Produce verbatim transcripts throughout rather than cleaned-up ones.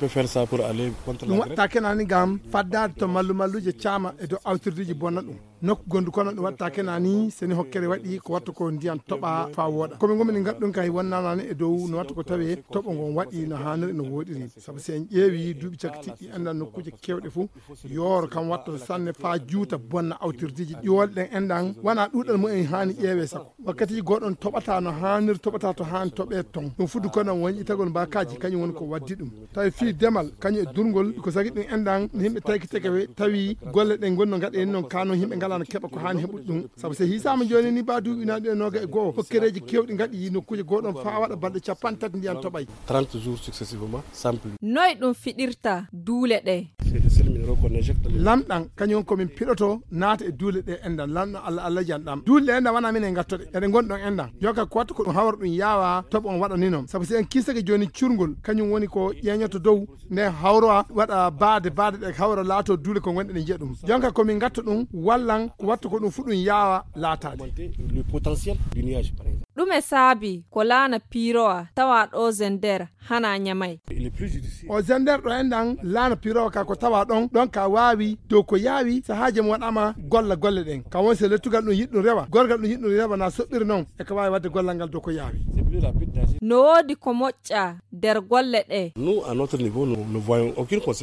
Peut faire ça pour aller contre ɗum waɗta kenani ngam faddaade to mallu malluuje caama e dow awtirdeji bonna ɗum. Nokku gondu kono ɗum waɗta kenani seni hokkere waɗi ko watta ko ndiyan toɓa fa wooɗa komi gomini ngadɗum kay wonnanani e dow no watta ko tawe toɓo ngon waɗi no haniri no woɗiri. Sabu si en ƴeewi duuɓi cakkiɗɗi enɗan nokkuuje kewɗe fuu yooro kam watta sanne fa juuta bonna awtirdeji ƴiwol ɗen enɗan wona ɗuɗal mumen hani ƴeewe sako wakkatiji goɗon toɓata no haniri toɓata to hani toɓe ton ɗum fuddu kono woni itagol mbakaji kañum woni ko waddi ɗum. Tawi fii demal kañum e durngol ko sagi ɗum enɗan no yimɓe tawki tekewe tawi golle ɗen gonno gaɗa en noon kano yimɓe ngalano keɓa ko hani heɓude ɗum. Sabu so hisama joni ni ba duuɓi naɗi e noga e goho hokkereji kewɗi gaɗi nokkuji goɗon fa waɗa balɗe capanɗe tati ndiyan toɓay. Trente jours successivement sans pluie. Noy ɗum fiɗirta duule ɗe? Lamɗan kañum komin piɗoto naata e duule ɗe enɗan lamɗo allah allah jan ɗam duule ɗe enɗan wona minen gattoɗe eɗe gonɗon enɗan. Joka ko watta ko ɗum hawra ɗum yaawa toɓo on waɗa ni noon sabu si en kisake joni curgol kañum woni ko ƴeñoto dow nde hawra waɗa baade baade ɗe hawra laato duule ko gonɗe ɗe njiya ɗum. Jonka komin gatta ɗum wallan ko watta ko ɗum fu ɗum yaawa laataade. Ɗume saabi ko laana piirowa tawa ɗo zender hana ñamay? O zender ɗo enɗan laana piirowa ka ko tawa ɗon ɗon ka waawi dow ko yaawi sahaaji mo waɗama golla golle ɗen ka won se lettugal ɗum yiɗɗum rewa gorgal ɗum yiɗɗum rewa na soɓɓiri noon e ka waawi waɗde gollal ngal dow ko yaawi. No woodi ko moƴƴa nder golle ɗe?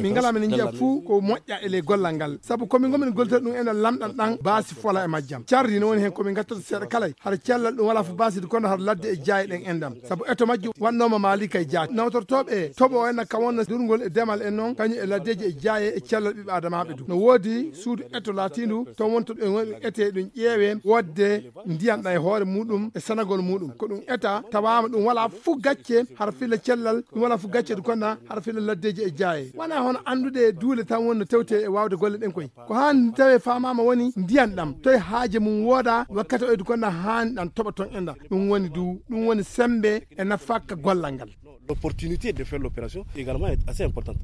Min ngala min njiya fuu ko moƴƴa e ley gollal ngal sabu komin gomin gollitata ɗum enɗan lamɗan ɗan baasi fola e majjam cardi no woni heen komin gattata seeɗa kalay hara cellal ɗum wala fof basidi kono hara ladde e jaaye ɗen enɗan sabu eto majjum waɗnoma maali kay jaati nawtortoɓe e toɓo o enɗan kam wonno durgol e demal en noon kañum e laddeji e jaaye e cellal ɓiɓɓe adamaɓe du no woodi suudu eto laatindu toon wonto ɗum woni ete ɗum ƴeewe wodde ndiyan ɗan e hoore muɗum e sanagol muɗum ko ɗum eta tawama ɗum wala fof gacce hara filla cellal ɗum wala fof gacce ɗum konna hara filla laddeji e jaaye wona hono andude e duule tan wonno tewte e wawde golle ɗen koy ko hani tawe famama woni ndiyan ɗam toye haaje mum wooda wakkati oyde konna hani ɗan toɓa ton enɗan ɗum woni du ɗum woni sembe e nafakka gollal ngal. L'opportunité de faire l'opération également est assez importante.